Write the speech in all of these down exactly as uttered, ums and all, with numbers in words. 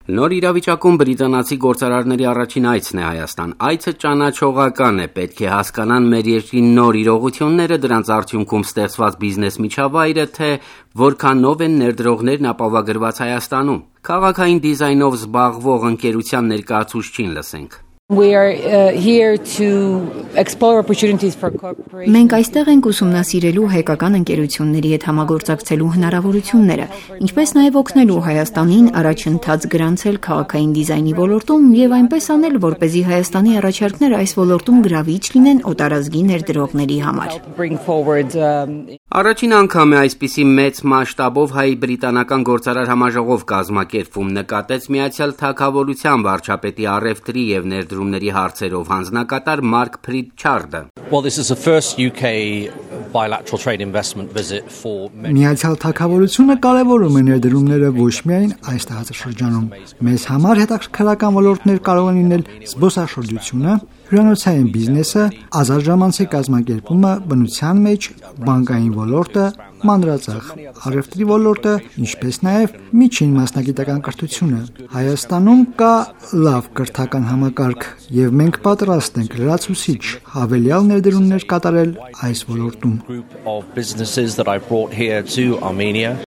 Նոր իրավիճակում բրիտանացի գործարարների առաջին այցն է Հայաստան։ Այցը ճանաչողական է, պետք է հասկանան մեր երկրի նոր իրողությունները, դրանց արդյունքում ստեղծված բիզնես միջավայրը, թե որքանով են ներդրողներն ապահովագրված Հայաստանում։ Քաղաքային դիզայնով զբաղվող ընկերության ներկայացուցչին լսենք։ We are uh, here to explore opportunities for cooperation. Մենք այստեղ ենք ուսումնասիրելու հայկական ընկերությունների հետ համագործակցելու հնարավորությունները, ինչպես նաև օգնելու Հայաստանին առաջընթաց գրանցել քաղաքային դիզայնի ոլորտում եւ այնպես անել, որպեսզի Հայաստանի առաջարկները այս ոլորտում գրավիչ լինեն օտարազգի ներդրողների համար։ Առաջին անգամ է այսպիսի մեծ մասշտաբով հայ-բրիտանական գործարար համաժողով կազմակերպվում, նկատեց Միացյալ Թագավորության վարչապետի առևտրի եւ ներդրումների հարցերով հանձնակատար Մարկ Փրիչարդը։ Well, this is the first U K bilateral trade investment visit for Միացյալ Թագավորությունը կարևորում է ներդրումները ոչ միայն այս տարածաշրջանում։ Մեզ համար հետաքրքրական ոլորտներ կարող են լինել զբոսաշրջությունը, հյուրանոցային բիզնեսը, ազատ կազմակերպումը, բնության մեջ, բանկային ոլորտը, մանրածախ առևտրի ոլորտը, ինչպես նաև միջին մասնագիտական կրթությունը։ Հայաստանում կա լավ կրթական համակարգ եւ մենք պատրաստ ենք լրացուցիչ հավելյալ ներդրումներ կատարել այս ոլորտում։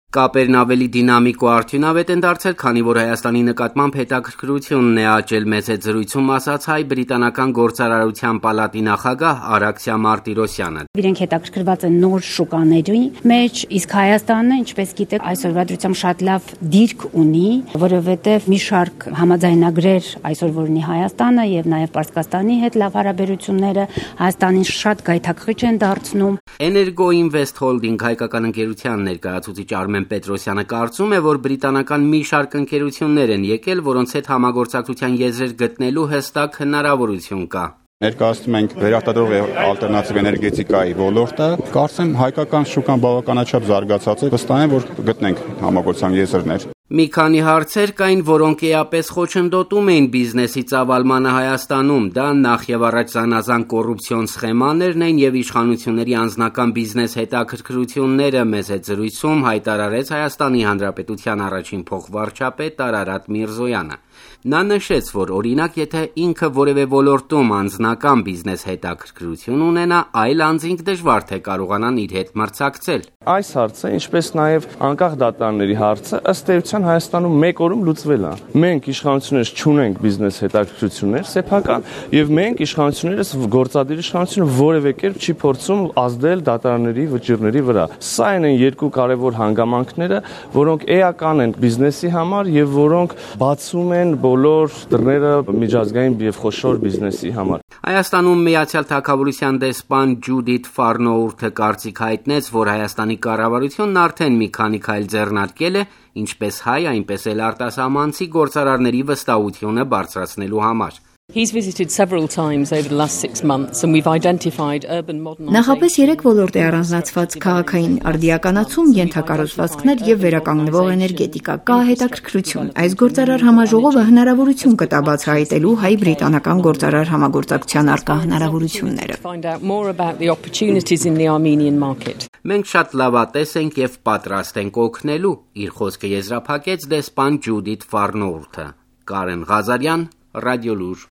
Կապերն ավելի դինամիկ ու արդյունավետ են դարձել, քանի որ Հայաստանի նկատմամբ հետաքրքրությունն է աճել, մեծ է զրույցում ասաց հայ-բրիտանական գործարարության պալատի նախագահ Արաքսիա Մարտիրոսյանը։ Իրենք հետաքրքրված են նոր շուկաների մեջ, իսկ Հայաստանը, ինչպես գիտեք, այսօրվա դրությամբ շատ լավ դիրք ունի, որովհետև մի շարք համաձայնագրեր այսօր որ ունի Հայաստանը եւ նաեւ Պարսկաստանի հետ լավ հարաբերությունները Հայաստանին շատ գայթակղիչ են դարձնում։ Էներգո Ինվեստ Հոլդինգ հայկական ընկերության ներկայացուցիչ Արմեն Պետրոսյանը կարծում է, որ բրիտանական մի շարք ընկերություններ են եկել, որոնց հետ համագործակցության եզրեր գտնելու հստակ հնարավորություն կա։ Ներկայացնում ենք վերարտադրող ալտերնատիվ էներգետիկայի ոլորտը, կարծեմ հայկական շուկան բավականաչափ զարգացած է, վստահ եմ, որ կգտնենք համագործակցության եզրներ։ Մի քանի հարցեր կային, որոնք էապես խոչընդոտում էին բիզնեսի ծավալմանը Հայաստանում, դա նախ եւ առաջ զանազան կոռուպցիոն սխեմաներն էին եւ իշխանությունների անձնական բիզնես հետաքրքրությունները, մեծ է զրույցում հայտարարեց Հայաստանի Հանրապետության առաջին փոխվարչապետ Արարատ Միրզոյանը։ Նա նշեց, որ օրինակ, եթե ինքը որևէ ոլորտում անձնական բիզնես հետաքրքրություն ունենա, այլ անձինք դժվար թե կարողանան իր հետ մրցակցել։ Այս հարցը, ինչպես նաև անկախ դատարանների հարցը, ըստ էության Հայաստանում մեկ օրում լուծվել է։ Մենք իշխանություններս չունենք բիզնես հետաքրքրություններ սեփական, եւ մենք իշխանություններս գործադիր իշխանությունը որևէ կերպ չի փորձում ազդել դատարանների վճիռների վրա։ Սա են երկու կարևոր հանգամանքները, որոնք էական են բիզնեսի համար եւ որոնք բացում են բոլոր դռները միջազգային եւ խոշոր բիզնեսի համար։ Հայաստանում Միացյալ Թագավորության դեսպան Ջուդիթ Ֆարնոուրթը կարծիք հայտնեց, որ Հայաստանի կառավարությունն արդեն մի քանի քայլ ձեռնարկել է, ինչպես հայ, այնպես էլ արտասահմանցի գործարարների վստահությունը բարձրացնելու համար։ He's visited several times over the last six months and we've identified urban modernization. Նախապես երեք ոլորտ է առանձնացված քաղաքային արդիականացում, ենթակառուցվածքներ եւ վերականգնվող էներգետիկա, կա հետաքրքրություն։ Այս գործարար համաժողովը հնարավորություն կտա բացահայտելու հայ-բրիտանական գործարար համագործակցության արկա հնարավորությունները։ Find out more about the opportunities in the Armenian market. Մենք շատ լավատես ենք եւ պատրաստ ենք օգնելու, իր խոսքը եզրափակեց դեսպան Ջուդիթ Ֆարնոուրթը։ Կարեն Ղազարյան, Ռադիոլուր։